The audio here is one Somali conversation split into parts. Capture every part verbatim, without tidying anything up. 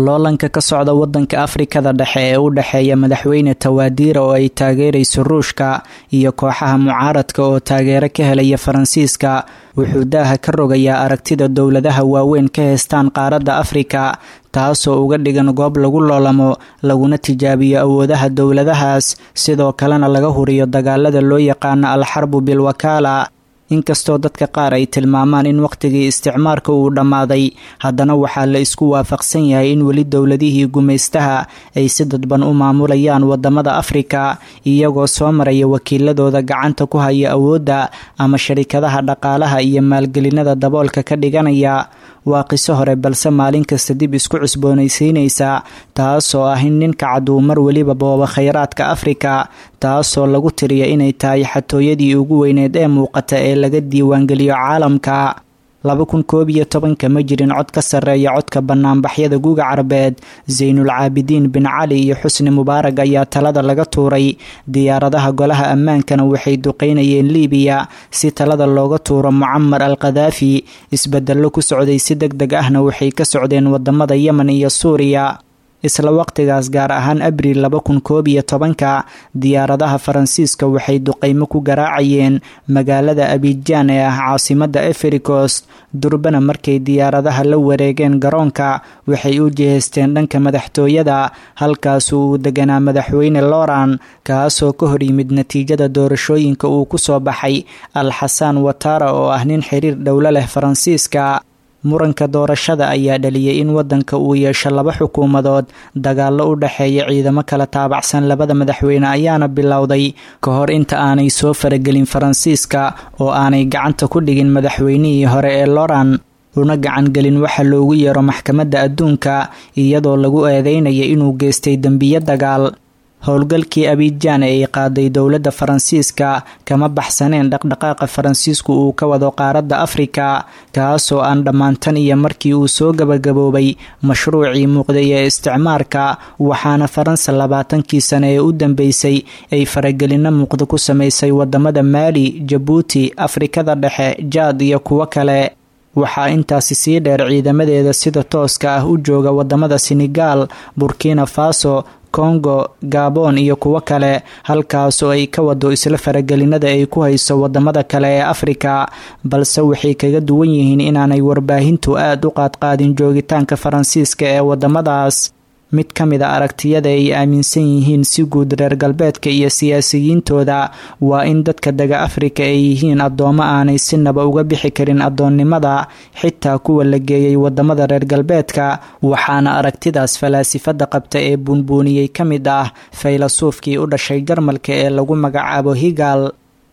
Loolanka ka socda wadanka Afrikada Dhexe ee u dhexeeya madaxweyne Tawaadiira oo ay taageerayso Ruushka iyo kooxaha mucaaradka oo taageero ka helaya Faransiiska wuxuu daaha ka rogayaa aragtida dowladaha waaweyn ka heystaan qaaradda Afrika, taasoo uga dhigan goob lagu loolamo laguna tijaabiyo awoodaha dowladahaas, sidoo kalena laga huriyo dagaalada loo yaqaano alxarbu bilwakaala. Inkastoo dadka qaar ay tilmaamaan in wakhtigii isticmaarka uu dhammaaday, haddana waxaa la isku waafaqsan yahay in weli dowladihii gumaystaha ay si dadban u maamulayaan wadamada Afrika, iyagoo soo maraya wakiiladooda gacanta ku haya awoodda ama sharikadaha dhaqaalaha iyo maalgelinada daboolka ka dhiganaya. Waa qiso hore balse maalin kasta dib isku cusboonaysiinaysa, taasoo ah in ninka cad uu mar weliba boobo khayraadka Afrika, taasoo lagu tiriya inay tahay xatooyadii ugu weyneed ee muuqata ee laga diiwaangeliyo caalamka. Laba kun koob iyo tobanka ma jirin cod ka sarreeya codka banaanbaxyada guga Carbeed. Zaynul Caabidiin bin Cali iyo Xusni Mubaarag ayaa talada laga tuuray. Diyaaradaha golaha ammaankana waxay duqeynayeen Liibiya si talada looga tuuro Mucamar al Khadaafi. Isbedello ku socday si deg deg ahna waxay ka socdeen wadamada Yemen iyo Suuriya. Isla waqtigaas, gaar ahaan Abriil laba kun koob iyo tobanka, diyaaradaha Faransiiska waxay duqeymo ku garaacayeen magaalada Abijaan ee ah caasimadda Efrikost. Durbana markay diyaaradaha la wareegeen garoonka, waxay u jihaysteen dhanka madaxtooyada, halkaasu uu deganaa madaxweyne Loran, kaasoo ka hor yimid natiijada doorashooyinka uu ku soo baxay Al Xasaan Watara oo ah nin xiriir dhowlo leh Faransiiska. Muranka doorashada ayaa dhaliyay in wadanka uu yeesho laba xukuumadood. Dagaallo u dhexeeya ciidamo kala taabacsan labada madaxweyne ayaana bilowday ka hor inta aanay soo faragelin Faransiiska oo aanay gacanta ku dhigin madaxweynihii hore ee Loran, una gacangelin waxa loogu yeero maxkamadda adduunka, iyadoo lagu eedeynaya inuu geystay dembiyo dagaal. Howlgalkii Abijaan ee ay qaaday dowladda Faransiiska kama baxsaneen dhaqdhaqaaqa Faransiisku uu ka wado qaaradda Afrika, kaasoo aan dhammaantan iyo markii uu soo gabagaboobay mashruucii muuqday ee isticmaarka. Waxaana Faransa labaatankii sane ee u dambeysay ay faragelino muuqda ku samaysay wadamada Maali, Jabuuti, Afrikada Dhexe, Jaad iyo kuwo kale. Waxaa intaasi sii dheer ciidamadeeda sida tooska ah u jooga wadamada Senegaal, Burkina Faso, Congo, Gabon iyo kuwo kale, halkaasoo ay ka wado isla faragelinada ay ku hayso wadamada kale ee Afrika, balse waxay kaga duwan yihiin inaanay warbaahintu aad u qaadqaadin joogitaanka Faransiiska ee wadamadaas. Mid ka mid a aragtiyada ay aaminsan yihiin si guud reer galbeedka iyo siyaasiyiintooda waa in dadka dega Afrika ay yihiin addoomo aanay sinaba uga bixi karin addoonnimada, xitaa kuwa la geeyay wadamada reer galbeedka. Waxaana aragtidaas falaasifada qabta ee buunbuuniyey ka mid ah faylasuufkii u dhashay Jarmalka ee lagu magacaabo Higal.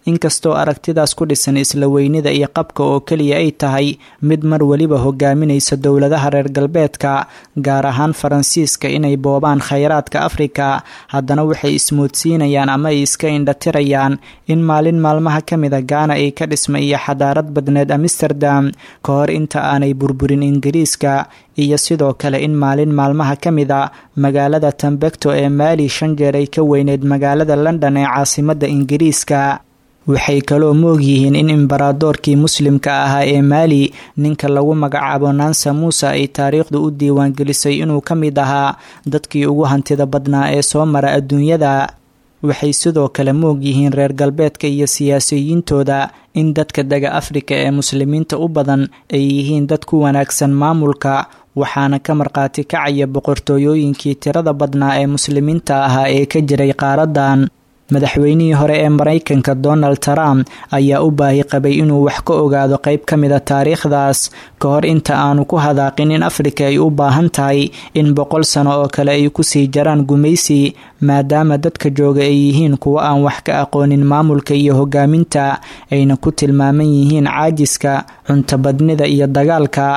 Inkastoo aragtidaas ku dhisan isla weynida iyo qabka oo keliya ay tahay mid mar weliba hogaaminaysa dowladaha reer galbeedka, gaar ahaan Faransiiska, inay boobaan khayraadka Afrika, haddana waxay ismoodsiinayaan ama ay iska indhatirayaan in maalin maalmaha ka mida Gaana ay ka dhismay iyo xadaarad badneed Amsterdam ka hor inta aanay burburin Ingiriiska, iyo sidoo kale in maalin maalmaha ka mida magaalada Tambecto ee Maali shan jeer ay ka weyneyd magaalada London ee caasimadda Ingiriiska. Waxay kaloo moog yihiin in imbaradoorkii muslimka ahaa ee Maali, ninka lagu magacaabo Nansa Muuse, ay taariikhdu u diiwaangelisay inuu ka mid ahaa dadkii ugu hantida badnaa ee soo mara adduunyada. Waxay sidoo kale moog yihiin reer galbeedka iyo siyaasiyiintooda in dadka dega Afrika ee muslimiinta u badan ay yihiin dad ku wanaagsan maamulka, waxaana ka markhaati kacaya boqortooyooyinkii tirada badnaa ee muslimiinta ahaa ee ka jiray qaaraddan. Madaxweynihii hore ee Maraykanka Donald Trump ayaa u baahi qabay inuu wax ka ogaado qayb ka mida taariikhdaas ka hor inta aanu ku hadaaqin in Afrika ay u baahan tahay in boqol sano oo kale ay kusii jaraan gumaysi, maadaama dadka jooga ay yihiin kuwo aan wax ka aqoonin maamulka iyo hogaaminta, ayna ku tilmaaman yihiin caajiska, cuntabadnida iyo dagaalka.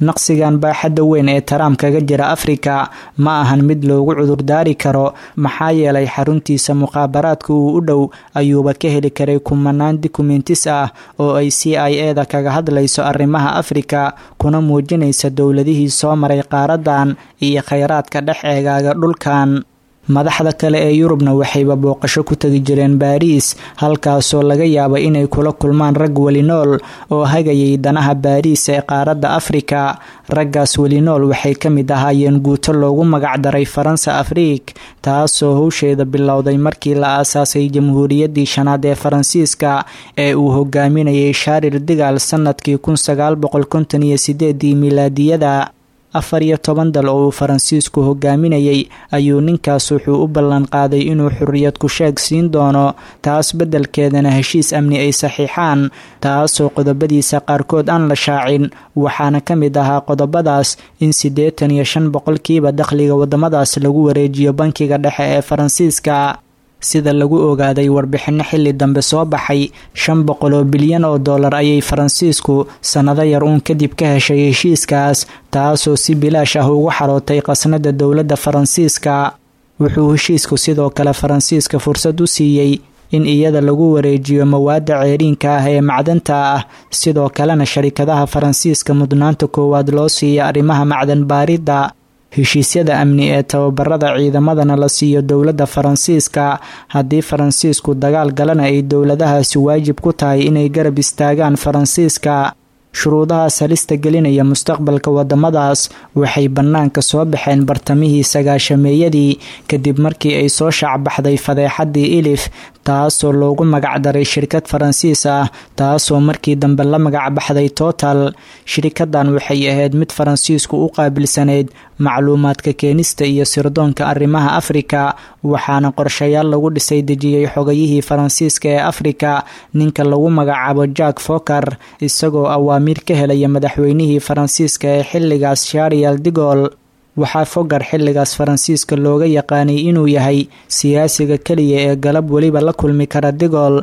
Naqsigan baaxadda weyn ee Trump kaga jira Afrika ma ahan mid loogu cudurdaari karo, maxaa yeelay xaruntiisa mukhaabaraadka uu u dhow ayuuba ka heli karay kumanaan dukumentis ah oo ay C I A da kaga hadlayso arrimaha Afrika, kuna muujinaysa dowladihii soo maray qaaraddan iyo khayraadka dhex eegaaga dhulkan. Madaxda kale ee Yurubna waxayba booqasho ku tegi jireen Baariis, halkaasoo laga yaaba inay kula kulmaan rag weli nool oo hagayay danaha Baariis ee qaaradda Afrika. Raggaas weli nool waxay ka mid ahaayeen guuto loogu magacdaray Faransa Afriik, taasoo howsheeda bilowday markii la aasaasay Jamhuuriyaddii shanaad ee Faransiiska ee uu hogaaminayay Shaaril Digaal sanadkii kun sagaal boqol konton iyo sideedii milaadiyada. Afar iyo toban dal oo uu Faransiisku hogaaminayay ayuu ninkaas wuxuu u ballan qaaday inuu xorriyad ku-sheeg siin doono, taas beddelkeedana heshiis amni ay saxiixaan, taasoo qodobadiisa qaarkood aan la shaacin. Waxaana ka mid ahaa qodobadaas in siddeetan iyo shan boqolkiiba dakhliga waddamadaas lagu wareejiyo bankiga dhexe ee Faransiiska. Sida lagu ogaaday warbixinno xilli dambe soo baxay, shan boqol oo bilyan oo dollar ayay Faransiisku sannado yar uun kadib ka heshay heshiiskaas, taasoo si bilaash ah ugu xarootay qasnada dowladda Faransiiska. Wuxuu heshiisku sidoo kale Faransiiska fursad u siiyey in iyada lagu wareejiyo mawaadda ceeriinka ah ee macdanta ah, sidoo kalena sharikadaha Faransiiska mudnaanta koowaad loo siiya arrimaha macdan baaridda. Heshiisyada amni ee tababarada ciidamadana la siiyo dowladda Faransiiska. Haddii Faransiisku dagaal galana, ay dowladahaasi waajib ku tahay inay garab istaagaan Faransiiska. Shuruudahaas halista gelinaya mustaqbalka wadamadaas waxay bannaanka soo baxeen bartamihii sagaashameeyadii, kadib markii ay soo shaacbaxday fadeexadii Ilif, taasoo loogu magacdaray shirkad Faransiis ah, taasoo markii dambe la magacbaxday Total. Shirikadan waxay ahayd mid Faransiisku u qaabilsanayd macluumaadka keenista iyo sirdoonka arrimaha Afrika, waxaana qorshayaal lagu dhisay dejiyey xogayihii Faransiiska ee Afrika, ninka lagu magacaabo Jack Foker, isagoo awaamiir ka helaya madaxweynihii Faransiiska ee xilligaas Sharial Digol. Waxaa Fogar xilligaas Faransiiska looga yaqaanay inuu yahay siyaasiga keliya ee galab weliba la kulmi kara Digol.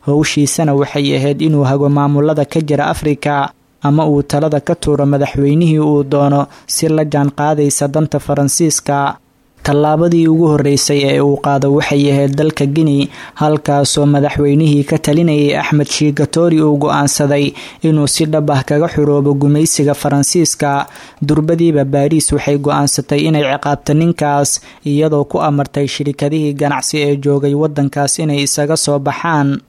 Howshiisana waxay ahayd inuu hago maamulada ka jira Afrika ama uu talada ka tuuro madaxweynihii uu doono si la jaan qaadaysa danta Faransiiska. Tallaabadii ugu horreysay ee uu qaado waxay ahayd dalka Guinea, halkaasoo madaxweynihii ka talinayay Axmed Shiikatori uu go-aansaday inuu si dhab ah kaga xuroobo gumaysiga Faransiiska. Durbadiiba Baariis waxay go-aansatay inay ciqaabto ninkaas, iyadoo ku amartay shirikadihii ganacsi ee joogay waddankaas inay isaga soo baxaan.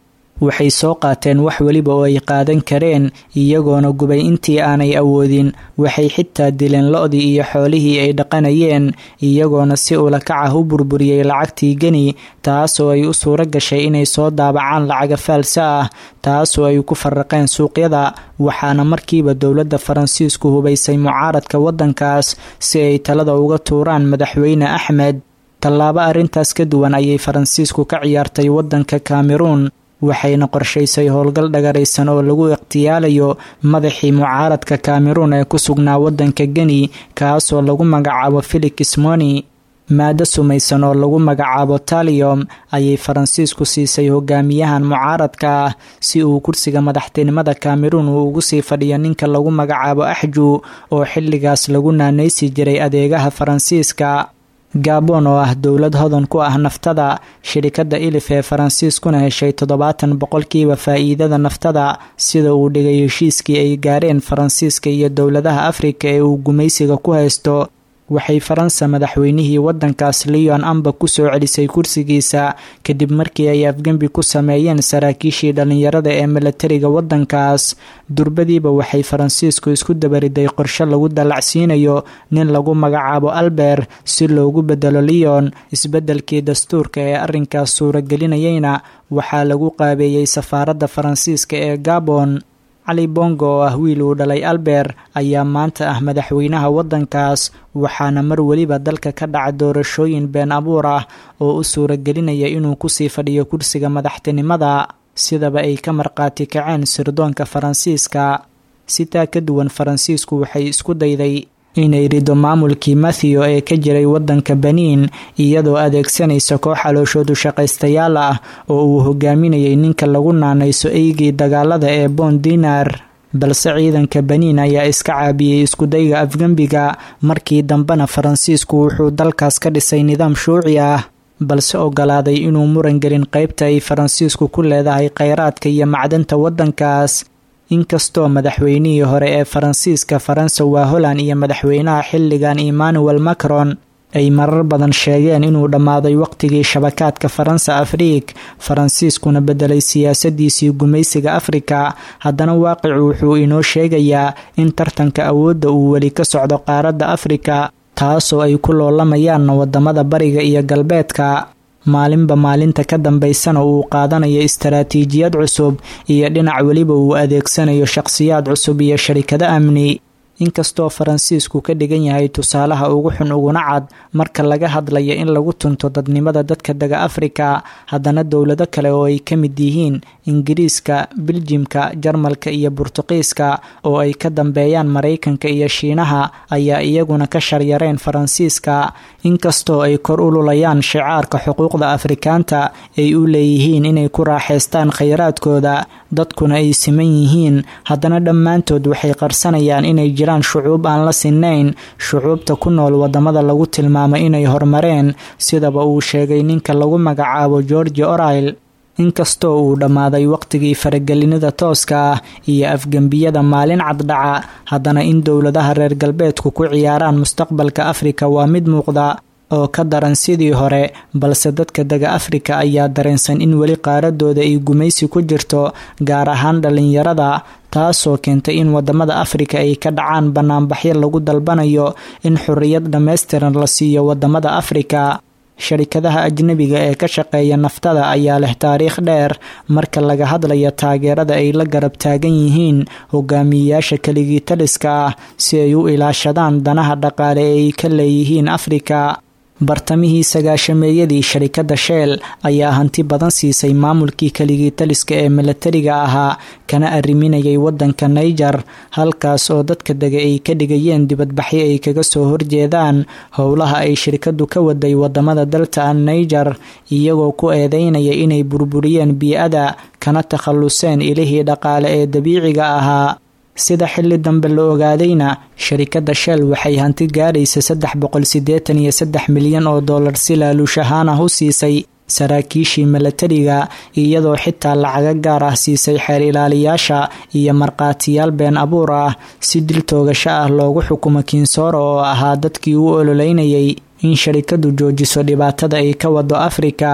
Waxay soo qaateen wax weliba oo ay qaadan kareen, iyagoona gubay intii aanay awoodin. Waxay xitaa dileen lo-dii iyo xoolihii ay dhaqanayeen, iyagoona si ulakac ah u burburiyey lacagtii Geni, taasoo ay u suuro gashay inay soo daabacaan lacaga faalsa ah, taasoo ay ku farraqeen suuqyada. Waxaana markiiba dowladda Faransiisku hubaysay mucaaradka waddankaas si ay talada uga tuuraan madaxweyne Axmed. Tallaabo arrintaas ka duwan ayay Faransiisku ka ciyaartay waddanka Kameruun, waxayna qorshaysay howlgal dhagaraysan oo lagu ikhtiyaalayo madaxii mucaaradka Kameruun ee ku sugnaa waddanka Geni, kaasoo lagu magacaabo Felix Moni. Maado sumaysan oo lagu magacaabo talium ayay Faransiisku siisay hogaamiyahan mucaaradka ah si uu kursiga madaxtinimada Kameruun uu ugu sii fadhiyo ninka lagu magacaabo Axju, oo xilligaas lagu naanaysi jiray adeegaha Faransiiska. Gabon oo ah dowlad hodan ku ah naftada, shirikadda Ilif ee Faransiiskuna heshay toddobaatan boqolkiiba faa'iidada naftada, sida uu dhigay heshiiskii ay gaareen Faransiiska iyo dowladaha Afrika ee uu gumaysiga ku haysto, waxay Faransa madaxweynihii waddankaas Leon Amba ku soo celisay kursigiisa kadib markii ay afgembi ku sameeyeen saraakiishii dhallinyarada ee milatariga waddankaas. Durbadiiba waxay Faransiisku isku dabariday qorshe lagu dallacsiinayo nin lagu magacaabo Albert si loogu bedelo Leon. Isbeddelkii dastuurka ee arrinkaas suuragelinayayna waxaa lagu qaabeeyey safaaradda Faransiiska ee Gabon. Cali Bongo oo ah wiil uu dhalay Albert ayaa maanta ah madaxweynaha waddankaas, waxaana mar weliba dalka ka dhaca doorashooyin been abuur ah oo u suuragelinaya inuu kusii fadhiyo kursiga madaxtinimada, sidaba ay ka marqaati kaceen sirdoonka Faransiiska. Sitaa ka duwan, Faransiisku waxay isku dayday inay rido maamulkii Matthew ee ka jiray waddanka Beniin, iyadoo adeegsanaysa koox calooshoodu shaqaystayaal ah oo uu hogaaminayay ninka lagu naanayso eygii dagaalada ee Bon Dinar. Balse ciidanka Beniin ayaa iska caabiyey iskudayga afgembiga. Markii dambena Faransiisku wuxuu dalkaas ka dhisay nidaam shuuci ah, balse ogolaaday inuu muran gelin qaybta ay Faransiisku ku leedahay kheyraadka iyo macdanta waddankaas. Inkastoo madaxweynihii hore ee Faransiiska Faransa waa Holland iyo madaxweynaha xilligan Emmanuel Macron ay marar badan sheegeen inuu dhammaaday waqtigii shabakaadka Faransa Afriik, Faransiiskuna bedelay siyaasadiisii gumaysiga Afrika, haddana waaqicu wuxuu inoo sheegayaa in tartanka awoodda uu weli ka socdo qaaradda Afrika, taasoo ay ku loolamayaan wadamada bariga iyo galbeedka. Maalinba maalinta ka dambaysana uu qaadanayo istaraatiijiyad cusub iyo dhinac weliba uu adeegsanayo shaqsiyaad cusub iyo sharikado amni. Inkastoo Faransiisku ka dhigan yahay tusaalaha ugu xun uguna cad marka laga hadlayo in lagu tunto dadnimada dadka dega Afrika, haddana dowlado kale oo ay ka mid yihiin Ingiriiska, Biljimka, Jarmalka iyo Burtuqiiska oo ay ka dambeeyaan Maraykanka iyo Shiinaha ayaa iyaguna ka sharyareen Faransiiska, inkastoo ay kor u lulayaan shicaarka xuquuqda Afrikaanta ay u leeyihiin inay ku raaxaystaan khayraadkooda, dadkuna ay siman yihiin, haddana dhammaantood waxay qarsanayaan inay jiraan shucuub aan la sinnayn shucuubta ku nool wadamada lagu tilmaamay inay horumareen, sidaba uu sheegay ninka lagu magacaabo George Orwell. Inkastoo uu dhammaaday waqtigii faragelinada tooska ah iyo afgembiyada maalin caddhaca, haddana in dowladaha reer galbeedku ku ciyaaraan mustaqbalka Afrika waa mid muuqda oo ka daran sidii hore, balse dadka dega Afrika ayaa dareensan in weli qaaradooda ay gumaysi ku jirto, gaar ahaan dhalinyarada, taasoo keentay in wadamada Afrika ay ka dhacaan banaanbaxyo lagu dalbanayo in xorriyad dhammaystiran la siiyo wadamada Afrika. Sharikadaha ajnabiga ee ka shaqeeya naftada ayaa leh taariikh dheer marka laga hadlayo taageerada ay la garab taagan yihiin hogaamiyeyaasha keligii taliska ah si ay u ilaashadaan danaha dhaqaale ee ay ka leeyihiin Afrika. Bartamihii sagaashameeyadii, sharikadda Shell ayaa hanti badan siisay maamulkii keligii taliska ee milatariga ahaa kana arriminayay wadanka Niger, halkaas oo dadka dega ay ka dhigayeen dibadbaxyo ay kaga soo horjeedaan howlaha ay shirkaddu ka waday wadamada dalta Niger, iyagoo ku eedeynaya inay burburiyeen bii'ada kana takhaluseen ilihii dhaqaale ee dabiiciga ahaa. Sida xilli dambe la ogaadayna, sharikadda Shell waxay hanti gaaraysa saddex boqol siddeetan iyo saddex milyan oo dollar si laaluush ahaan ah u siisay saraakiishii milatariga, iyadoo xitaa lacago gaar ah siisay xeer ilaaliyaasha iyo markhaatiyaal been abuur ah si dil toogasho ah loogu xukumo Kinsooro oo ahaa dadkii u ololeynayay in sharikaddu joojiso dhibaatada ay ka wado Afrika.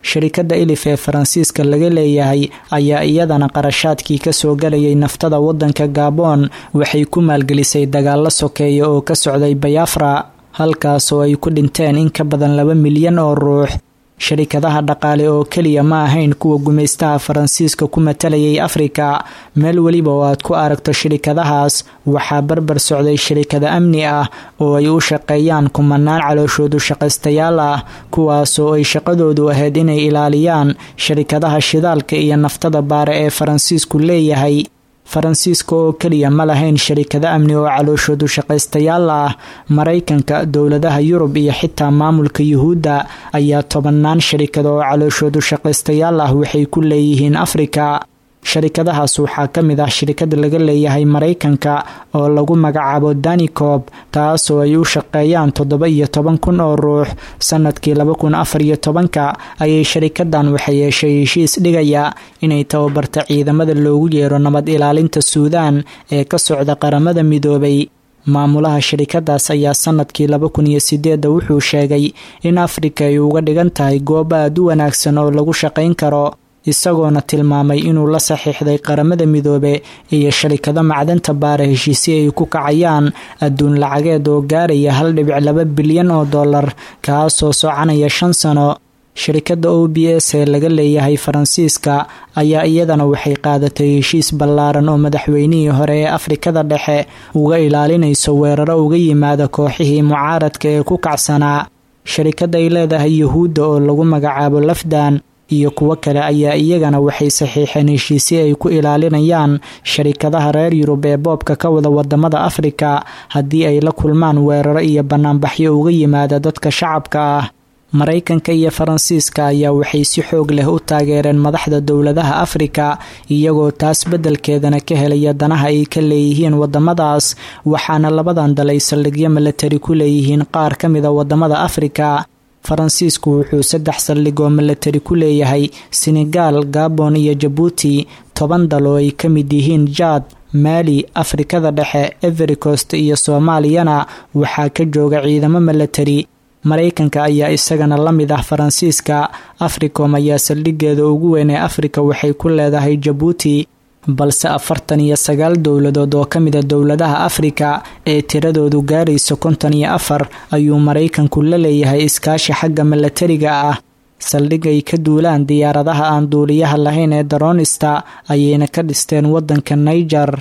Sharikadda Elif ee Faransiiska laga leeyahay ayaa iyadana qarashaadkii kasoo galayay naftada wadanka Gabon waxay ku maalgelisay dagaalo sokeeya oo ka socday Bayafra, halkaasoo ay ku dhinteen in ka badan laba milyan oo ruux. Sharikadaha dhaqaale oo keliya ma ahayn kuwa gumaystaha Faransiiska ku matalayay Afrika. Meel weliba oo aad ku aragto shirikadahaas waxaa barbar socday shirikada amni ah oo ay u shaqeeyaan kumanaan calooshoodu shaqaystayaal ah, kuwaasoo ay shaqadoodu ahayd inay ilaaliyaan sharikadaha shidaalka iyo naftada baare ee Faransiisku leeyahay. Faransiiska oo keliya ma lahayn sharikado amni oo calooshoodu shaqaystayaal ah. Maraykanka, dowladaha Yurub iyo xitaa maamulka Yuhuudda ayaa tobanaan sharikado oo calooshoodu shaqaystayaal ah waxay ku leeyihiin Afrika. Sharikadahaas waxaa ka mid ah shirikad laga leeyahay Maraykanka oo lagu magacaabo Danicob, taasoo ay u shaqeeyaan toddoba iyo toban kun oo ruux. Sanadkii laba kun afar iyo tobanka ayay sharikadan waxay yeeshay heshiis dhigaya inay tababarta ciidamada loogu yeero nabad ilaalinta Suudaan ee ka socda Qaramada Midoobay. Maamulaha shirikadaas ayaa sanadkii laba kun iyo sideedda wuxuu sheegay in Afrika ay uga dhigan tahay goob aad u wanaagsan oo lagu shaqayn karo, isagoona tilmaamay inuu la saxiixday Qaramada Midoobe iyo sharikado macdanta baara heshiisyo ay ku kacayaan adduun lacageed oo gaaraya hal dhibic laba bilyan oo dollar, kaasoo soconaya shan sano. Sharikadda O B S ee laga leeyahay Faransiiska ayaa iyadana waxay qaadatay heshiis ballaaran oo madaxweynihii hore ee Afrikada Dhexe uga ilaalinayso weeraro uga yimaada kooxihii mucaaradka ee ku kacsanaa. Sharikadda ay leedahay Yuhuudda oo lagu magacaabo Lafdan iyo kuwo kale ayaa iyagana waxay saxiixeen heshiisyo ay ku ilaalinayaan sharikadaha reer Yurub ee boobka ka wada wadamada Afrika haddii ay la kulmaan weeraro iyo banaanbaxyo uga yimaada dadka shacabka ah. Maraykanka iyo Faransiiska ayaa waxay si xoog leh u taageereen madaxda dowladaha Afrika, iyagoo taas beddelkeedana ka helaya danaha ay ka leeyihiin wadamadaas, waxaana labadan dal ay saldhigyo milatari ku leeyihiin qaar ka mida wadamada Afrika. Faransiisku wuxuu saddex saldhig oo milatari ku leeyahay Senegal, Gabon iyo Jabuuti, toban dal oo ay ka mid yihiin Jaad, Maali, Afrikada Dhexe, Ivory Coast iyo Soomaaliyana waxaa ka jooga ciidamo milatari. Maraykanka ayaa isagana la mid ah Faransiiska. Africom ayaa saldhigeeda ugu weyn ee Afrika waxay ku leedahay Jabuuti, balse afartan iyo sagaal dowladood oo ka mida dowladaha Afrika ee tiradoodu gaarayso konton iyo afar ayuu Maraykanku la leeyahay iskaashi xagga milatariga ah. Saldhig ay ka duulaan diyaaradaha aan duuliyaha lahayn ee daroonista ayayna ka dhisteen waddanka Niger.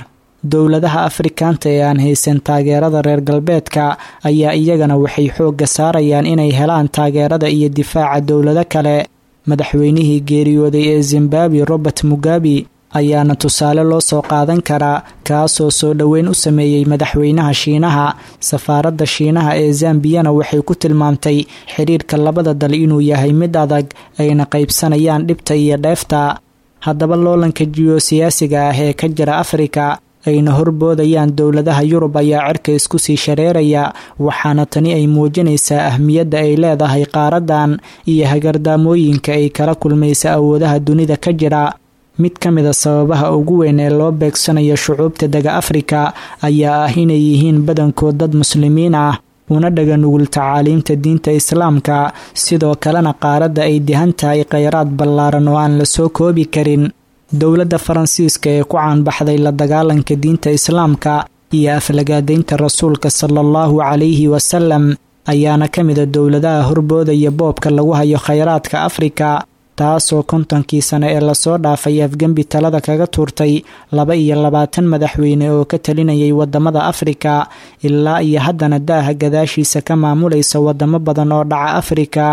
Dowladaha Afrikaanta ee aan haysan taageerada reer galbeedka ayaa iyagana waxay xoogga saarayaan inay helaan taageerada iyo difaaca dowlado kale. Madaxweynihii geeriyooday ee Zimbabwe, Robert Mugabe, ayaana tusaale loo soo qaadan karaa, kaasoo soo dhoweyn u sameeyey madaxweynaha Shiinaha. Safaaradda Shiinaha ee Zambiyana waxay ku tilmaamtay xiriirka labada dal inuu yahay mid adag, ayna qaybsanayaan dhibta iyo dheefta. Haddaba loolanka jiyosiyaasiga ah ee ka jira Afrika ayna horboodayaan dowladaha Yurub ayaa cirka isku sii shareeraya, waxaana tani ay muujinaysaa ahmiyadda ay leedahay qaaradan iyo hagardaamooyinka ay kala kulmaysa awoodaha dunida ka jira. Mid ka mid a sababaha ugu weyn ee loo beegsanayo shucuubta dega Afrika ayaa ah inay yihiin badankood dad muslimiin ah, una dhaga nugul tacaaliimta diinta Islaamka, sidoo kalena qaaradda ay dihan tahay kheyraad ballaaran oo aan la soo koobi karin. Dowladda Faransiiska ee ku caanbaxday la dagaalanka diinta Islaamka iyo aflagaadaynta Rasuulka sala allahu calayhi wasalam ayaana ka mida dowladaha horboodaya boobka lagu hayo kheyraadka Afrika, taasoo kontonkii sane ee lasoo dhaafay afgembi talada kaga tuurtay laba iyo labaatan madaxweyne oo ka talinayay wadamada Afrika, ilaa iyo haddana daaha gadaashiisa ka maamulaysa wadamo badan oo dhaca Afrika.